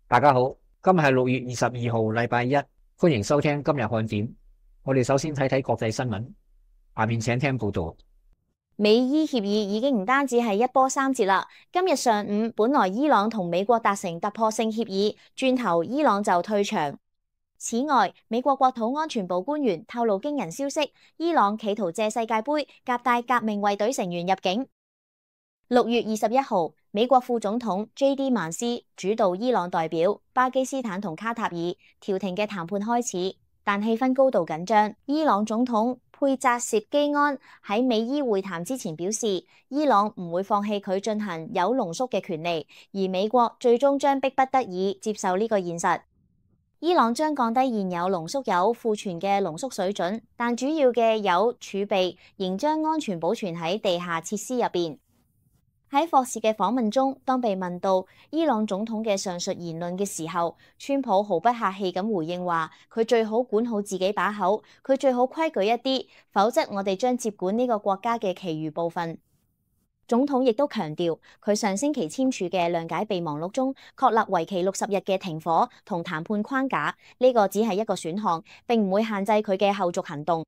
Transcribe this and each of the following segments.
大家好，今日係6月22號，禮拜一，歡迎收聽今日看點。我哋首先睇睇國際新聞，下面請聽報道。美伊協議已經唔單止係一波三折啦。今日上午，本來伊朗同美國達成突破性協議，轉頭伊朗就退場。此外，美國國土安全部官員透露驚人消息，伊朗企圖借世界盃夾帶革命衛隊成員入境。6月21號，美國副總統 J.D. 曼斯主導伊朗代表巴基斯坦同卡塔爾調停嘅談判開始，但氣氛高度緊張。伊朗總統佩扎涉基安喺美伊會談之前表示，伊朗唔會放棄佢進行鈾濃縮嘅權利，而美國最終將迫不得已接受呢個現實。伊朗將降低現有濃縮鈾庫存嘅濃縮水準，但主要嘅鈾儲備仍將安全保存喺地下設施入邊。喺霍士嘅訪問中，當被問到伊朗總統嘅上述言論嘅時候，川普毫不客氣咁回應話：佢最好管好自己把口，佢最好規矩一啲，否則我哋將接管呢個國家嘅其餘部分。總統亦都強調，佢上星期簽署嘅諒解備忘錄中確立為期60日嘅停火同談判框架，呢個只係一個選項，並唔會限制佢嘅後續行動。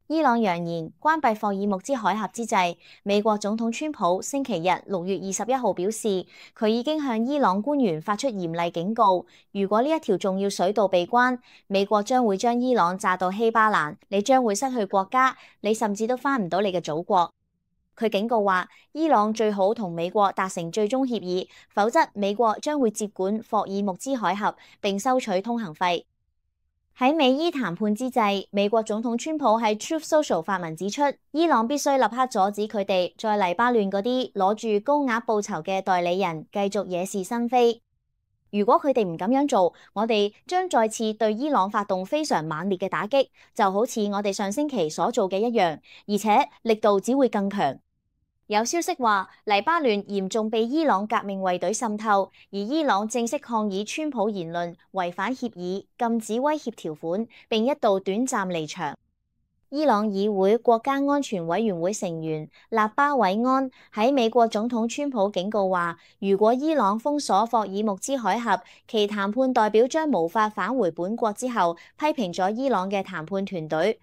伊朗揚言關閉霍爾木茲海峽之際，美國總統川普星期日6月21號表示，佢已經向伊朗官員發出嚴厲警告，如果呢一條重要水道被關，美國將會將伊朗炸到稀巴爛，你將會失去國家，你甚至都返唔到你嘅祖國。佢警告話，伊朗最好同美國達成最終協議，否則美國將會接管霍爾木茲海峽並收取通行費。喺美伊談判之際，美國總統川普喺 Truth Social 發文指出，伊朗必須立刻阻止佢哋在黎巴嫩嗰啲攞住高額報酬嘅代理人繼續惹是生非。如果佢哋唔咁樣做，我哋將再次對伊朗發動非常猛烈嘅打擊，就好似我哋上星期所做嘅一樣，而且力度只會更強。有消息話，黎巴嫩嚴重被伊朗革命衛隊滲透，而伊朗正式抗議川普言論違反協議、禁止威脅條款，並一度短暫離場。伊朗議會國家安全委員會成員納巴韋安喺美國總統川普警告話，如果伊朗封鎖霍爾木茲海峽，其談判代表將無法返回本國之後，批評咗伊朗嘅談判團隊。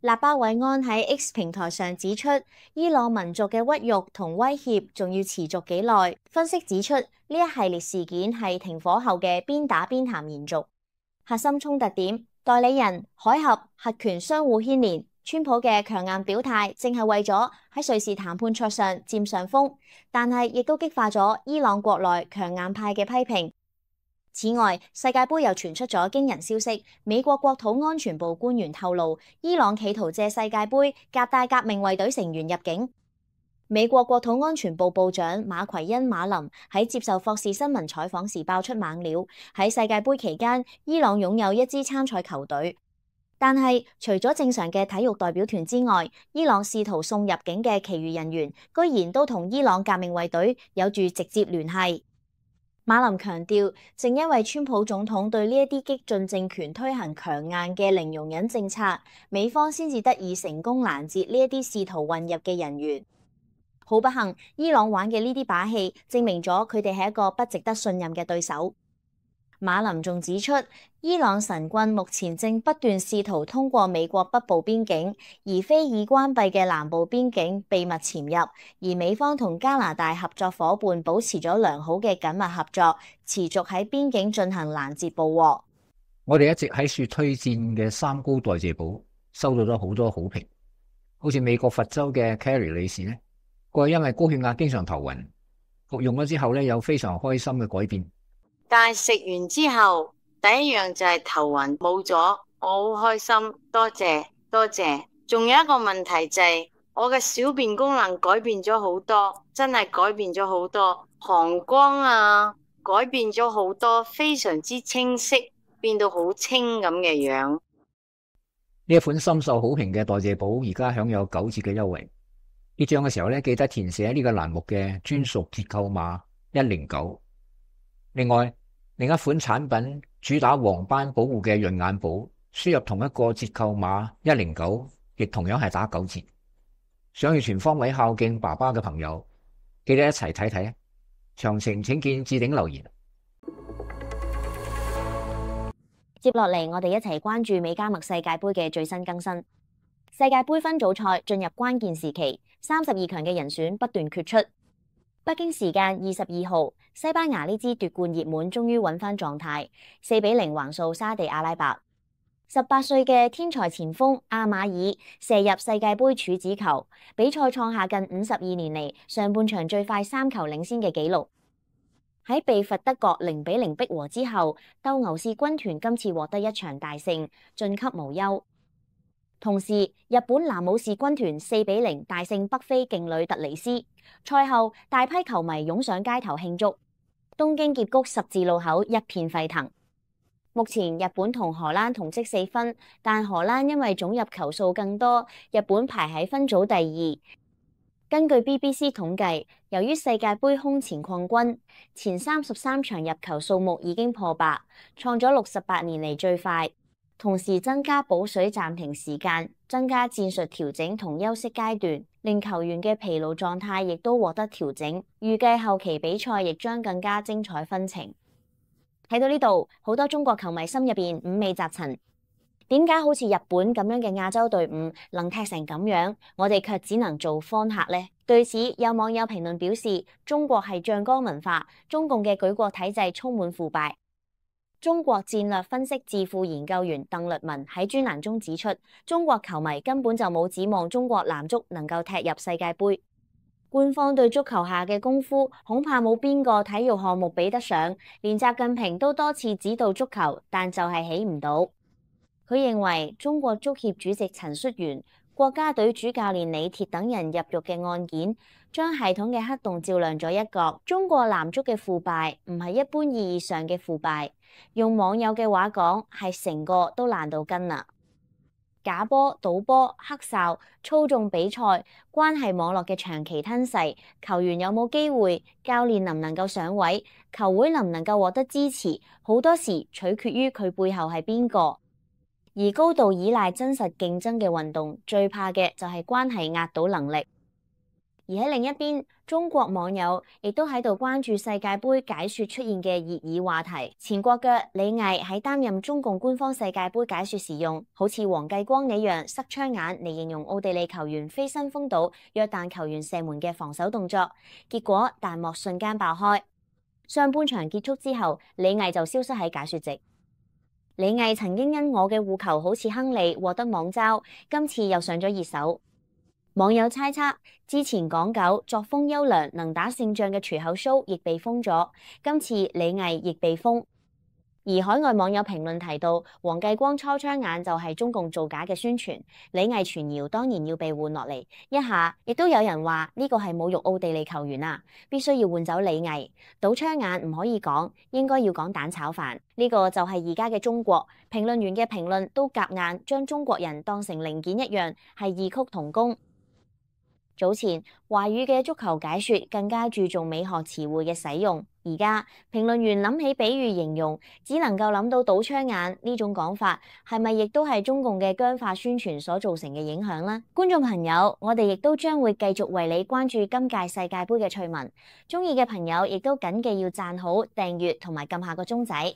納巴韋安喺 X 平台上指出，伊朗民族嘅屈辱同威脅仲要持續幾耐。分析指出，呢一系列事件係停火後嘅邊打邊談延續。核心衝突點：代理人、海峽、核權相互牽連。川普嘅強硬表態，正係為咗喺瑞士談判桌上佔上風，但係亦都激化咗伊朗國內強硬派嘅批評。此外，世界盃又傳出咗驚人消息，美國國土安全部官員透露，伊朗企圖借世界盃夾帶革命衛隊成員入境。美國國土安全部部長馬奎恩馬林喺接受霍士新聞採訪時爆出猛料，喺世界盃期間，伊朗擁有一支參賽球隊，但係除咗正常嘅體育代表團之外，伊朗試圖送入境嘅其餘人員，居然都同伊朗革命衛隊有住直接聯繫。馬林強調，正因為川普總統對呢一啲激進政權推行強硬嘅零容忍政策，美方先至得以成功攔截呢一啲試圖混入嘅人員。好不幸，伊朗玩嘅呢啲把戲，證明咗佢哋係一個不值得信任嘅對手。馬林仲指出，伊朗神棍目前正不斷試圖通過美國北部邊境，而非已關閉嘅南部邊境秘密潛入，而美方同加拿大合作夥伴保持咗良好嘅緊密合作，持續喺邊境進行攔截捕獲。我哋一直喺處推薦嘅三高代謝寶收到咗好多好評，好似美國佛州嘅 Carrie 女士呢，佢話因為高血壓經常頭暈，服用咗之後呢，有非常開心嘅改變。但係食完之後，第一樣就係頭暈冇咗，我好開心，多謝多謝。仲有一個問題就係我嘅小便功能改變咗好多，真係改變咗好多，膀胱啊改變咗好多，非常之清晰，變到好清咁嘅樣。呢一款深受好評嘅代謝寶而家享有9折嘅優惠。結賬嘅時候呢，記得填寫呢個欄目嘅專屬折扣碼109。另外，另一款產品主打黃斑保護嘅潤眼寶，輸入同一個折扣碼109，亦同樣係打9折。想要全方位孝敬爸爸嘅朋友，記得一齊睇睇。詳情請見置頂留言。接落嚟，我哋一齊關注美加墨世界盃嘅最新更新。世界盃分組賽進入關鍵時期，32強嘅人選不斷決出。北京時間22號，西班牙呢支奪冠熱門終於揾翻狀態，4-0橫掃沙地阿拉伯。18歲嘅天才前鋒阿馬爾射入世界盃處子球，比賽創下近52年嚟上半場最快3球領先嘅紀錄。喺被罰德國0-0逼和之後，鬥牛士軍團今次獲得一場大勝，晉級無憂。同時，日本男武士軍團4-0大勝北非勁旅突尼斯。賽後，大批球迷湧上街頭慶祝，東京矽谷十字路口一片沸騰。目前日本同荷蘭同積4分，但荷蘭因為總入球數更多，日本排喺分組第2。根據 BBC 統計，由於世界盃空前擴軍，前33場入球數目已經破百，創咗68年嚟最快。同時增加補水暫停時間，增加戰術調整同休息階段，令球員嘅疲勞狀態亦都獲得調整。預計後期比賽亦將更加精彩紛呈。睇到呢度，好多中國球迷心入邊五味雜陳。點解好似日本咁樣嘅亞洲隊伍能踢成咁樣，我哋卻只能做方客呢？對此，有網友評論表示，中國係醬缸文化，中共嘅舉國體制充滿腐敗。中國戰略分析智庫研究員鄧律文喺專欄中指出，中國球迷根本就冇指望中國男足能夠踢入世界盃。官方對足球下嘅功夫，恐怕冇邊個體育項目比得上。連習近平都多次指導足球，但就係起唔到。佢認為中國足協主席陳戌源、國家隊主教練李鐵等人入獄嘅案件，將系統嘅黑洞照亮咗一角。中國男足嘅腐敗唔係一般意義上嘅腐敗，用網友嘅話講，係成個都爛到根啦。假波、賭波、黑哨、操縱比賽、關係網絡嘅長期吞噬，球員有冇機會，教練能唔能夠上位，球會能唔能夠獲得支持，好多時取決於佢背後係邊個。而高度依賴真實競爭嘅運動，最怕嘅就係關係壓倒能力。而喺另一邊，中國網友亦都喺度關注世界盃解說出現嘅熱議話題。前國腳李毅喺擔任中共官方世界盃解說時用好似黃繼光一樣塞槍眼嚟形容奧地利球員飛身封堵約旦球員射門嘅防守動作，結果彈幕瞬間爆開。上半場結束之後，李毅就消失喺解說席。李毅曾經因我嘅護球好似亨利獲得網嘲，今次又上咗熱搜。網友猜測，之前港九作風優良能打勝仗嘅隨口 show 亦被封咗，今次李毅亦被封。而海外網友評論提到，黃繼光抽槍眼就係中共造假嘅宣傳，李毅傳謠當然要被換落嚟。一下亦都有人話呢個係侮辱奧地利球員啊，必須要換走李毅。倒槍眼唔可以講，應該要講蛋炒飯。呢個就係而家嘅中國，評論員嘅評論都夾硬將中國人當成零件一樣，係異曲同工。早前華語嘅足球解說更加注重美學詞彙嘅使用，而家評論員諗起比喻形容，只能夠諗到倒槍眼呢種講法，係咪亦都係中共嘅僵化宣傳所造成嘅影響呢？觀眾朋友，我哋亦都將會繼續為你關注今屆世界盃嘅趣聞，中意嘅朋友亦都謹記要讚好、訂閱同埋撳下個鐘仔。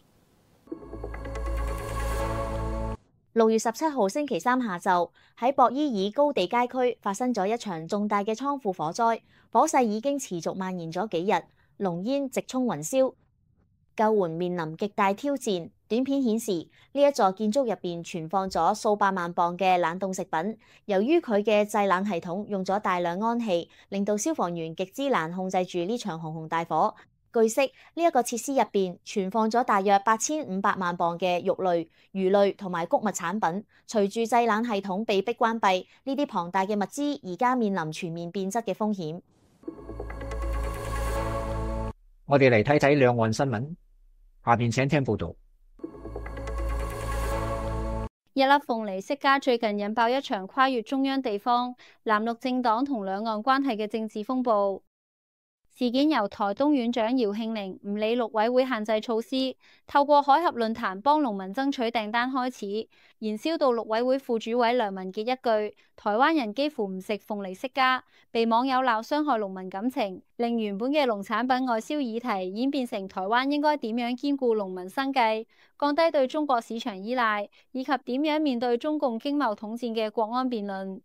6月17號星期三下晝，喺博伊爾高地街區發生咗一場重大嘅倉庫火災，火勢已經持續蔓延咗幾日，濃煙直衝雲霄，救援面臨極大挑戰。短片顯示，呢一座建築入邊存放咗數百萬磅嘅冷凍食品，由於佢嘅製冷系統用咗大量氨氣，令到消防員極之難控制住呢場熊熊大火。據悉，呢一個設施入邊存放咗大約8500萬磅嘅肉類、魚類同埋穀物產品。隨住製冷系統被迫關閉，呢啲龐大嘅物資而家面臨全面變質嘅風險。我哋嚟睇睇兩岸新聞，下邊請聽報道。一粒鳳梨釋迦最近引爆一場跨越中央地方、藍綠政黨同兩岸關係嘅政治風暴。事件由台東縣長姚慶寧唔理陸委會限制措施，透過海峽論壇幫農民爭取訂單開始，燃燒到陸委會副主委梁文傑一句台灣人幾乎唔食鳳梨釋迦，被網友鬧傷害農民感情，令原本嘅農產品外銷議題演變成台灣應該點樣兼顧農民生計，降低對中國市場依賴，以及點樣面對中共經貿統戰嘅國安辯論。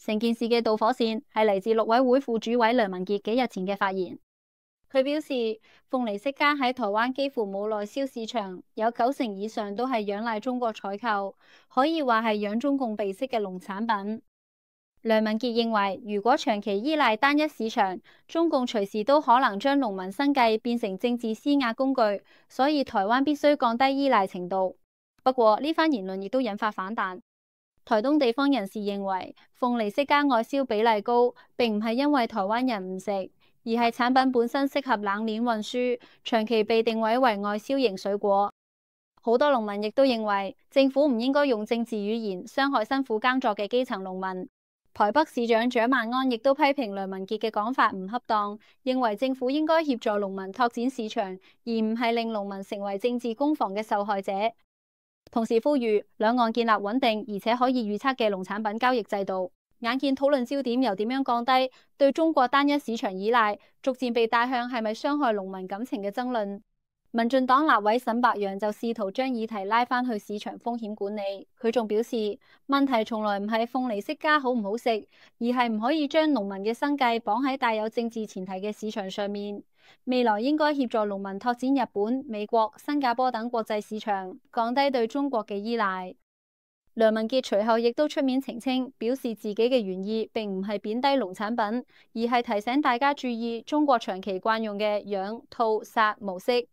成件事嘅導火線係嚟自陸委會副主委梁文傑幾日前嘅發言。佢表示，鳳梨釋迦喺台灣幾乎冇內銷市場，有90%以上都係仰賴中國採購，可以話係養中共鼻息嘅農產品。梁文傑認為，如果長期依賴單一市場，中共隨時都可能將農民生計變成政治施壓工具，所以台灣必須降低依賴程度。不過呢番言論亦都引發反彈。台東地方人士認為，鳳梨釋迦外銷比例高，並唔係因為台灣人唔食，而係產品本身適合冷鏈運輸，長期被定位為外銷型水果。好多農民亦都認為，政府唔應該用政治語言傷害辛苦耕作嘅基層農民。台北市長蔣萬安亦都批評梁文傑嘅講法唔恰當，認為政府應該協助農民拓展市場，而唔係令農民成為政治攻防嘅受害者。同時呼籲兩岸建立穩定而且可以預測嘅農產品交易制度。眼見討論焦點由點樣降低對中國單一市場依賴，逐漸被帶向係咪傷害農民感情嘅爭論。民進黨立委沈伯洋就試圖將議題拉返去市場風險管理。佢仲表示，問題從來唔係鳳梨釋迦好唔好食，而係唔可以將農民嘅生計綁喺帶有政治前提嘅市場上面。未來應該協助農民拓展日本、美國、新加坡等國際市場，降低對中國嘅依賴。梁文傑隨後亦都出面澄清，表示自己嘅原意並唔係貶低農產品，而係提醒大家注意中國長期慣用嘅養、套、殺模式。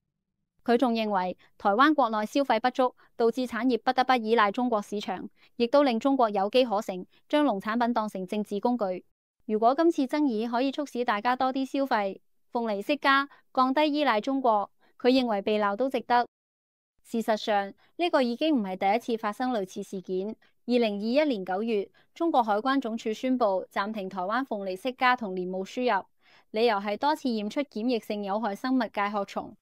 佢仲認為台灣國內消費不足，導致產業不得不依賴中國市場，亦都令中國有機可乘，將農產品當成政治工具。如果今次爭議可以促使大家多啲消費鳳梨釋迦，降低依賴中國，佢認為被鬧都值得。事實上，呢個已經唔係第一次發生類似事件。2021年9月，中國海關總署宣布暫停台灣鳳梨釋迦同蓮霧輸入，理由係多次驗出檢疫性有害生物介殼蟲。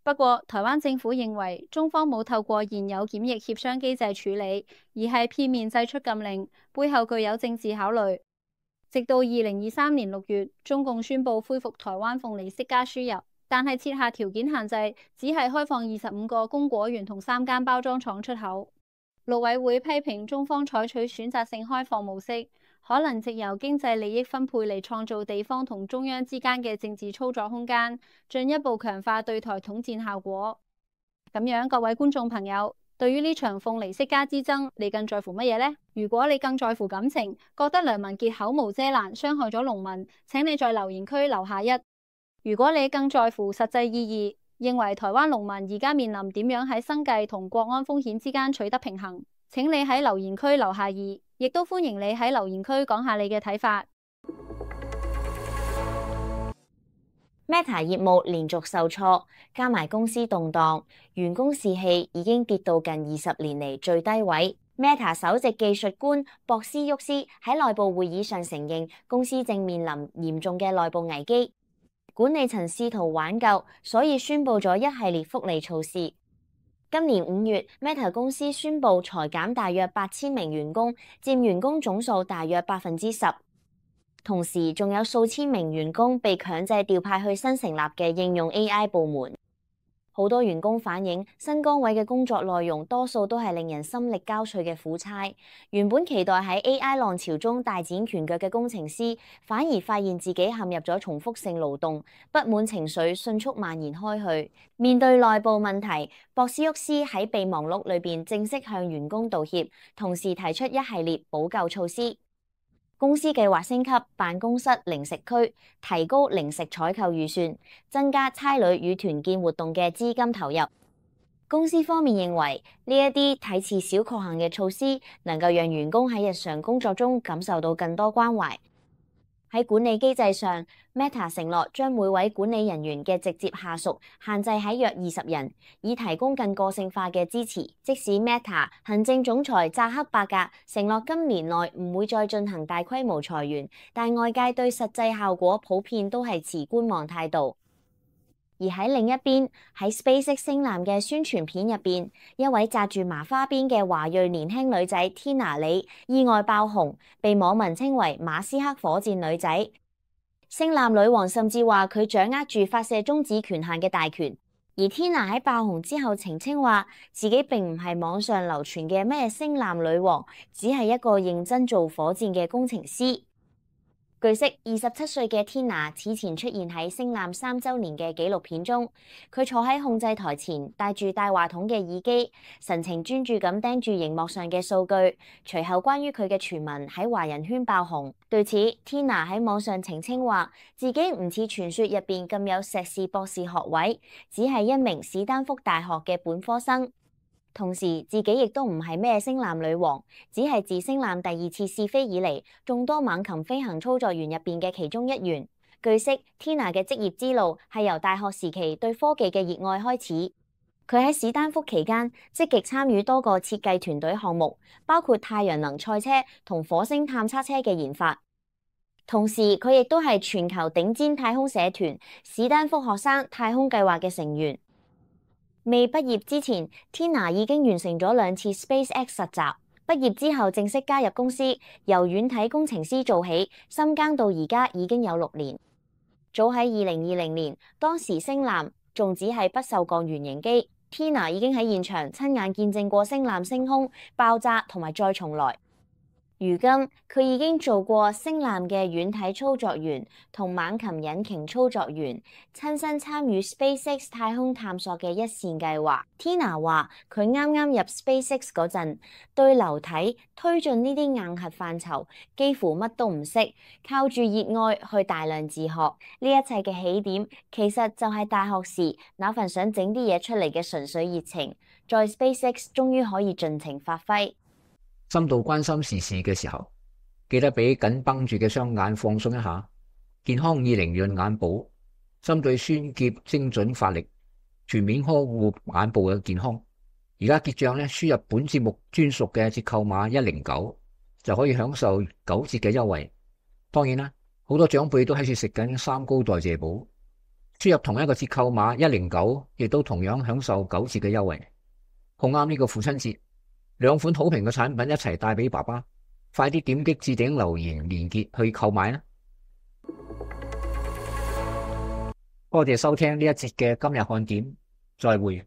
不過，台灣政府認為中方冇透過現有檢疫協商機制處理，而係片面祭出禁令，背後具有政治考慮。直到2023年6月，中共宣布恢復台灣鳳梨釋迦輸入，但係設下條件限制，只係開放25個供果園同3間包裝廠出口。陸委會批評中方採取選擇性開放模式，可能藉由經濟利益分配嚟創造地方同中央之間嘅政治操作空間，進一步強化對台統戰效果。咁樣，各位觀眾朋友，對於呢場鳳梨釋迦之爭，你更在乎乜嘢呢？如果你更在乎感情，覺得梁文傑口無遮攔，傷害咗農民，請你在留言區留下1。如果你更在乎實際意義，認為台灣農民而家面臨點樣喺生計同國安風險之間取得平衡，請你喺留言區留下2，亦都歡迎你喺留言區講下你嘅睇法。Meta 業務連續受挫，加埋公司動盪，員工士氣已經跌到近20年嚟最低位。Meta 首席技術官博斯沃斯喺內部會議上承認，公司正面臨嚴重嘅內部危機，管理層試圖挽救，所以宣布咗一系列福利措施。今年5月 ，Meta 公司宣布裁減大約8000名員工，佔員工總數大約10%。同時，仲有數千名員工被強制調派去新成立嘅應用 AI 部門。好多員工反映，新崗位嘅工作內容多數都係令人心力交瘁嘅苦差。原本期待喺 AI 浪潮中大展拳腳嘅工程師，反而發現自己陷入咗重複性勞動，不滿情緒迅速蔓延開去。面對內部問題，博斯沃斯喺備忘錄裏邊正式向員工道歉，同時提出一系列補救措施。公司計劃升級辦公室零食區，提高零食採購預算，增加差旅與團建活動嘅資金投入。公司方面認為呢一啲睇似小確幸嘅措施，能夠讓員工喺日常工作中感受到更多關懷。喺管理機制上 ，Meta 承諾將每位管理人員嘅直接下屬限制喺約20人，以提供更個性化嘅支持。即使 Meta 行政總裁扎克伯格承諾今年內唔會再進行大規模裁員，但外界對實際效果普遍都係持觀望態度。而喺另一邊，喺 SpaceX 星艦嘅宣傳片入邊，一位紮住麻花辮嘅華裔年輕女仔 Tina 李意外爆紅，被網民稱為馬斯克火箭女仔。星艦女王甚至話佢掌握住發射中子權限嘅大權。而 Tina 喺爆紅之後澄清話，自己並唔係網上流傳嘅咩星艦女王，只係一個認真做火箭嘅工程師。據悉，27歲嘅 Tina 此前出現喺星艦3週年嘅紀錄片中，佢坐喺控制台前，戴住帶話筒嘅耳機，神情專注咁盯住熒幕上嘅數據。隨後關於佢嘅傳聞喺華人圈爆紅。對此 ，Tina 喺網上澄清話，自己唔似傳說入邊咁有碩士博士學位，只係一名史丹福大學嘅本科生。同時，自己亦都唔係咩星艦女王，只係自星艦第2次試飛以嚟，眾多猛禽飛行操作員入邊嘅其中一員。據悉 ，Tina 嘅職業之路係由大學時期對科技嘅熱愛開始。佢喺史丹福期間積極參與多個設計團隊項目，包括太陽能賽車同火星探測車嘅研發。同時，佢亦都係全球頂尖太空社團史丹福學生太空計劃嘅成員。未畢業之前 ，Tina 已經完成咗2次 SpaceX 實習。畢業之後正式加入公司，由軟體工程師做起，深耕到而家已經有6年。早喺2020年，當時星艦仲只係不鏽鋼原型機 ，Tina 已經喺現場親眼見證過星艦升空、爆炸同埋再重來。如今佢已經做過星艦嘅軟體操作員同猛禽引擎操作員，親身參與 SpaceX 太空探索嘅一線計劃。Tina 話佢啱啱入 SpaceX 嗰陣，對流體推進呢啲硬核範疇幾乎乜都唔識，靠住熱愛去大量自學。呢一切嘅起點其實就係大學時那份想整啲嘢出嚟嘅純粹熱情，在 SpaceX 終於可以盡情發揮。深度關心時事嘅時候，記得俾緊繃住嘅雙眼放鬆一下。健康20潤眼部針對酸澀精準發力，全面呵護眼部嘅健康。而家結賬咧，輸入本節目專屬嘅折扣碼109就可以享受9折嘅優惠。當然啦，好多長輩都喺處食緊三高代謝寶，輸入同一個折扣碼109，亦都同樣享受9折嘅優惠。好啱呢個父親節。2款好評嘅產品一齊帶俾爸爸，快啲點擊置頂留言連結去購買啦！多謝收聽呢一節嘅今日看點，再會。